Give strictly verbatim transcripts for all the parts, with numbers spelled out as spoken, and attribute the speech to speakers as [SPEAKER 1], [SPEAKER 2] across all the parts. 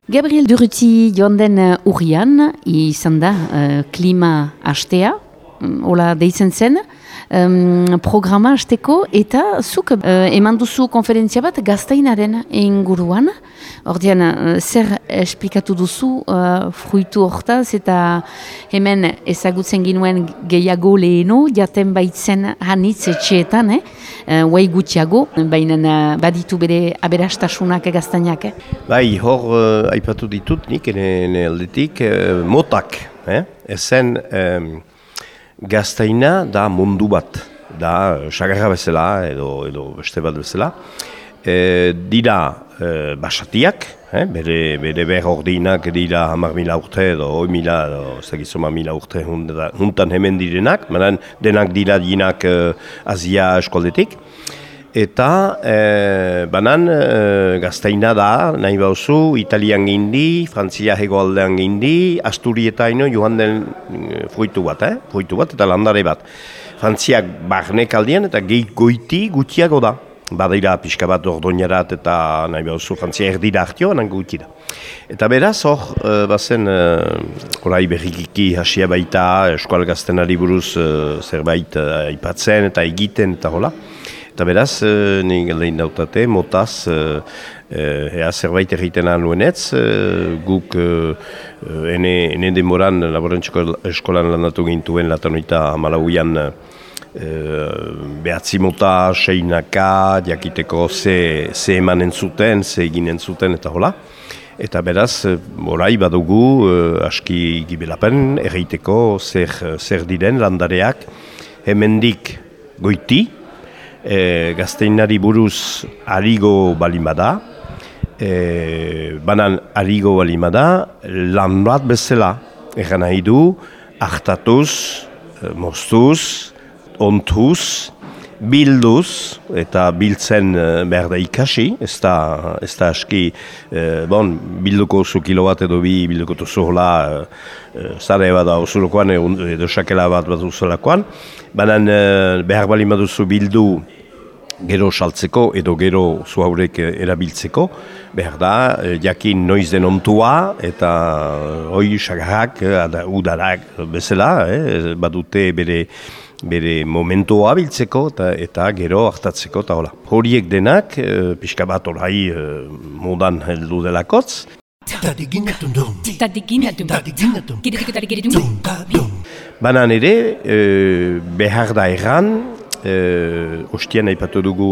[SPEAKER 1] Gabriel Durruti joan den urrian, izan da uh, klima hastea, hola deitzen zen, um, programa hasteko, eta zuk uh, eman duzu konferentzia bat gaztainaren inguruan. Ordean, uh, zer esplikatu duzu uh, fruitu hortaz, eta hemen ezagutzen ginuen gehiago leheno, jaten baitzen hanitz etxeetan, eh? uh, guai gutxiago, baina uh, baditu bere aberastasunak gaztainak. Eh?
[SPEAKER 2] Bai, hor uh, aipatu ditut nik, ene aldetik, uh, motak, eh? ezen um, gaztaina da mundu bat, da sagarra bezala edo, edo beste bat bezala. E, dira e, basatiak, eh? bere, bere behar ordinak dira hamar mila urte edo hoi mila, edo ezagizoma mila urte juntan hemen direnak, manan denak dira dinak e, Asia eskoldetik. Eta e, banan e, gaztaina da, nahi bauzu, Italian gindi, Frantzia hegoaldean gindi, Asturietaino joan den e, fruitu bat, eh? fruitu bat eta landare bat. Frantziak barnek aldean eta gehi goiti gutxiago da. Badira pixka bat ordoinarat eta nahi behuzu Frantzia erdira hartio, anan gutxi da. Eta beraz, hor, uh, bazen, uh, orai berrikiki hasia baita, eskual gaztenari buruz uh, zerbait uh, aipatzen eta egiten eta hola. Eta beraz, uh, nik lehin dautate, motaz, uh, uh, ea zerbait egiten anuenetz, uh, guk uh, uh, ene, ene demoran laborantziko eskolan landatu gintuen latanoita hamalauian uh, behatzi mota, seinaka, jakiteko ze, ze emanen zuten, ze eginen zuten eta hola. Eta beraz, orai badugu aski gibelapen erreiteko zer, zer diren landareak hemendik goiti, e, gazteinari buruz arigo balimada, e, banan arigo balimada, lan bat bezala, egan nahi du, hartatuz, moztuz, ontuz, bilduz, eta biltzen behar da ikasi, ez da, ez da aski, eh, bon, bilduko zu kilo bat edo bi bilduko duzu hola, eh, zare bat da osurokoan edo sakela bat bat duzulakoan, baina eh, behar bali baduzu bildu gero saltzeko edo gero zu haurek erabiltzeko, behar da, eh, jakin noiz den ontua eta hoi sagarrak, udarak bezala, eh, badute bere bere momentua biltzeko eta, eta gero hartatzeko eta hola. Horiek denak, e, pixka bat orai e, modan heldu delakotz. Banan ere, e, behar da erran, e, ostian aipatu dugu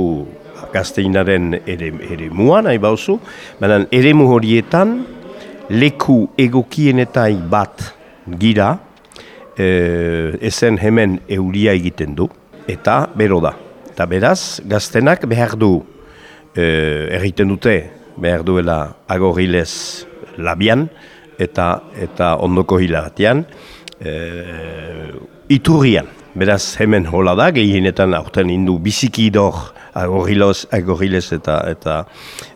[SPEAKER 2] gazteinaren ere, ere muan, nahi bauzu, banan ere mu horietan leku egokienetai bat gira, E, ezen hemen euria egiten du, eta bero da. Eta beraz, gaztenak behar du, e, egiten dute, behar duela agorilez labian, eta, eta ondoko hilagatean, e, iturrian. Beraz, hemen hola da, gehienetan aurten indu biziki idor agorilez, agorilez eta, eta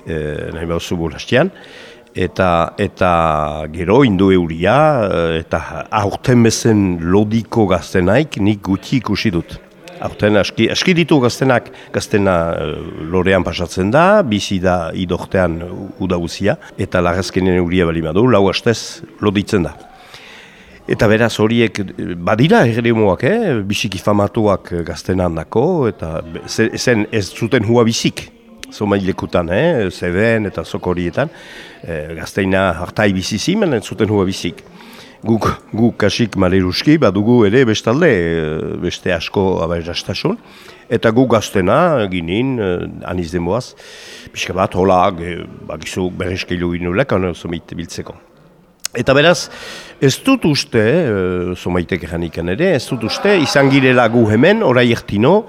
[SPEAKER 2] e, nahi bauzu bulastian. Eta, eta gero indu euria, eta aurten bezen lodiko gaztenaik nik gutxi ikusi dut. Aurten aski, aski ditu gaztenak, gaztena lorean pasatzen da, bizi da idortean udaguzia, eta lagazkenen euria bali badu, lau hastez loditzen da. Eta beraz horiek badira erremuak, eh? Bisiki famatuak gaztenan dako, eta zen ez zuten hua bizik. Zomailekutan, eh? Zeben eta zokorietan, eh, gazteina hartai bizizi, menen zuten hua bizik. Guk, guk kasik maleruski, badugu ere bestalde, beste asko aberastasun. Eta guk gaztena ginin, eh, aniz denboaz, pixka bat, hola, bakizu berreskeilu ginulek, zomait biltzeko. Eta beraz, ez dut uste, eh, zomaitek eranikan ere, ez dut uste, izan girela gu hemen, orai ertino,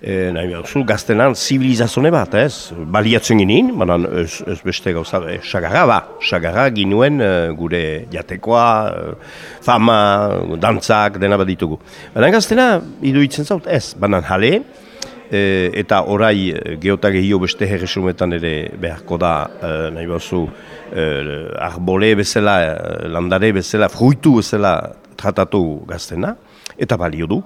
[SPEAKER 2] E, nahi behar, gaztenan zibilizazone bat, ez? Baliatzen ginen, baina ez, ez beste gauza, e, sagarra ba, sagarra ginuen e, gure jatekoa, e, fama, dantzak, dena bat ditugu. Baina gaztena, iduitzen zaut, ez, baina jale, e, eta orai geota gehio beste herresumetan ere beharko da, e, nahi behar, e, arbole bezala, landare bezala, fruitu bezala tratatu gaztena, eta balio du,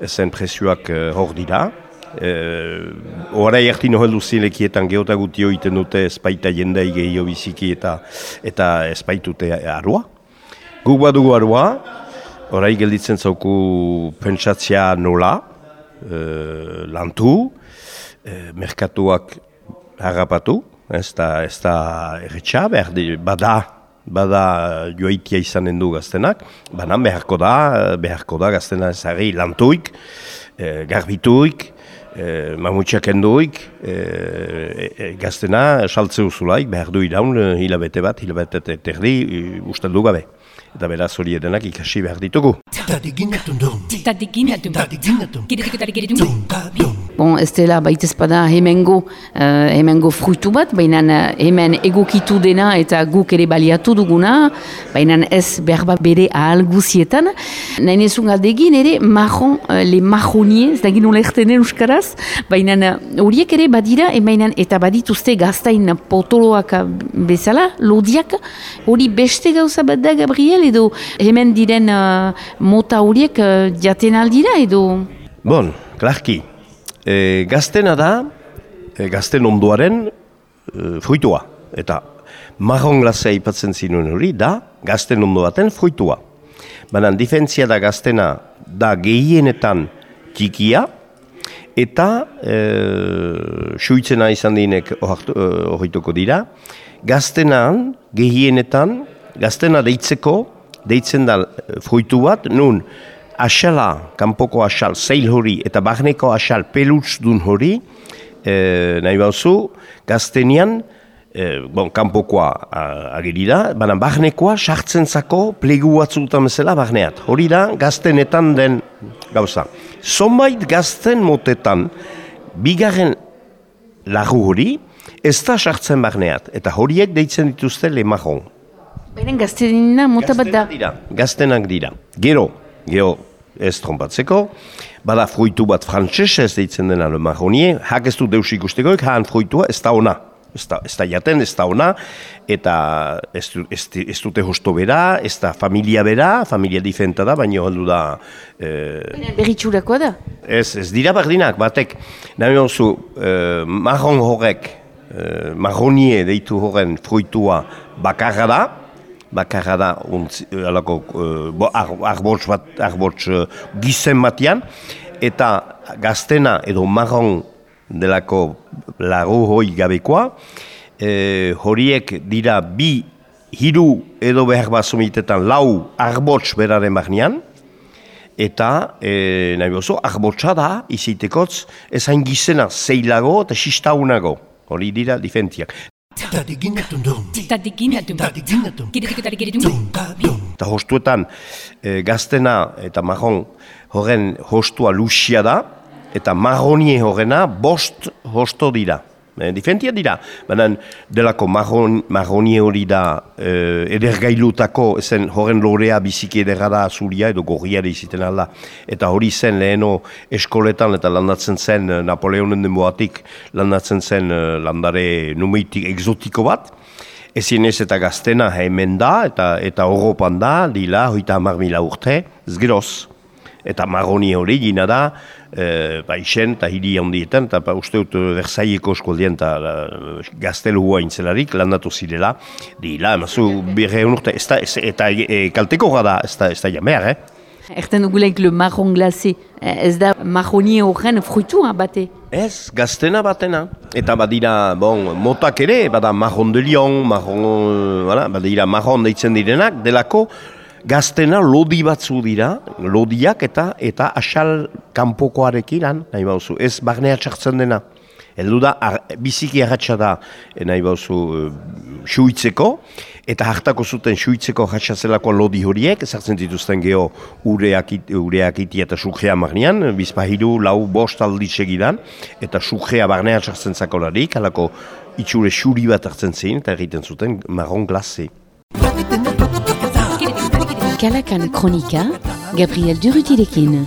[SPEAKER 2] ezen presioak e, hor dira, Horai harti noheldu zilekietan geota gutio iten dute espaita jendei gehio biziki eta eta espaitute arua. Guk badugu arua, horai gelditzen zauku pentsatzea nola, e, lantu, e, merkatuak harrapatu, ez da, ez da erretxa, behar di, bada, bada joaitia izanen du gaztenak, banan beharko da, beharko da gaztena ezari lantuik, e, garbituik, E, mamutxak enduik, e, e, gaztena saltze uzulaik, behar du iraun hilabete bat, hilabete terdi, ustel du gabe. Eta beraz hori edenak ikasi behar ditugu.
[SPEAKER 1] Bon, ez dela baitez bada hemengo, uh, hemengo fruitu bat, baina hemen egokitu dena eta guk ere baliatu duguna, baina ez berba bere ahal guzietan. Nahi nezun galdegin ere, marron, uh, le marronier, ez da gino lehtenen euskaraz, baina horiek ere badira, baina eta badituzte gaztain potoloak bezala, lodiak, hori beste gauza bat da, Gabriel, edo hemen diren uh, mota horiek uh, jaten aldira, edo...
[SPEAKER 2] Bon, klarki. E, gaztena da, e, gazten ondoaren e, fruitua. Eta marron glazea ipatzen zinuen hori da, gazten ondo baten fruitua. Baina difentzia da gaztena da gehienetan txikia, eta e, suitzena izan dinek horretuko dira. Gaztenan gehienetan, gaztena deitzeko, deitzen da fruitu bat, nun, asala, kanpoko asal, zeil hori, eta barneko asal pelutz dun hori, e, nahi bauzu, gaztenian, e, bon, kanpokoa ageri da, baina barnekoa sartzen zako plegu batzutan bezala barneat. Hori da, gaztenetan den gauza. Zonbait gazten motetan, bigarren lagu hori, ez da sartzen barneat, eta horiek deitzen dituzte le marron.
[SPEAKER 1] Baina gaztenina mota bat da?
[SPEAKER 2] Dira, gaztenak dira. Gero, gero, ez trompatzeko, bada fruitu bat frantses ez deitzen dena le marronier, hak ez du deus ikustekoek, haan fruitua ez da ona. Ez da, ez da jaten, ez da ona, eta ez, ez, ez dute hosto bera, ez da familia bera, familia diferenta da, baina heldu da...
[SPEAKER 1] Eh, Berritxurakoa da?
[SPEAKER 2] Ez, ez dira bardinak, batek, nahi hauzu, eh, marron horrek, eh, marronier deitu horren fruitua bakarra da, bakarra da, untzi, alako, uh, arbortz bat, arbortz uh, gizen batian, eta gaztena edo marron delako lagu hoi gabekoa, eh, horiek dira bi, hiru edo behar bazomitetan lau arbortz beraren barnean, eta eh, nahi bozo, arbortza da, izitekotz, ezain gizena zeilago eta xistaunago, hori dira difentiak. Eta hostuetan e, gaztena eta marron horren hostua luxia da, eta marronie horrena bost hosto dira. E, Difentia dira, baina delako marron, marronie hori da e, edergailutako, zen horren lorea biziki ederra da azuria edo gorriare iziten alda. Eta hori zen leheno eskoletan eta landatzen zen Napoleonen denboatik landatzen zen landare numeitik exotiko bat. Ezin ez eta gaztena hemen da eta eta Europan da, dila, hoita hamar mila urte, zgeroz. Eta marroni hori gina da, e, baixen eta hiri handietan, eta ba, uste dut Versailleko eskualdien eta gaztelua intzelarik landatu zirela. Dila, emazu birreun urte, ez da, ez, eta e, kalteko da, ez da, ez da jamear, eh?
[SPEAKER 1] Erten dugulaik le marron glacé, ez da marroni horren fruitua bate?
[SPEAKER 2] Ez, gaztena batena. Eta badira, bon, motak ere, bada marron de lion, marron, voilà, badira marron deitzen direnak, delako, gaztena lodi batzu dira, lodiak eta eta asal kanpokoarekin lan, nahi bauzu, ez barnea txartzen dena. Heldu da, ar, biziki arratxa da, nahi bauzu, suitzeko, eta hartako zuten suitzeko ratxazelako lodi horiek, ezartzen dituzten geho ureak, ureak iti eta sukrea marnean, bizpahiru, lau, bost aldi segidan, eta sukrea barnea txartzen zakolarik, halako itxure xuri bat hartzen zein, eta egiten zuten marron glacé.
[SPEAKER 1] Kalakan Kronika, Gabriel Durutilekin.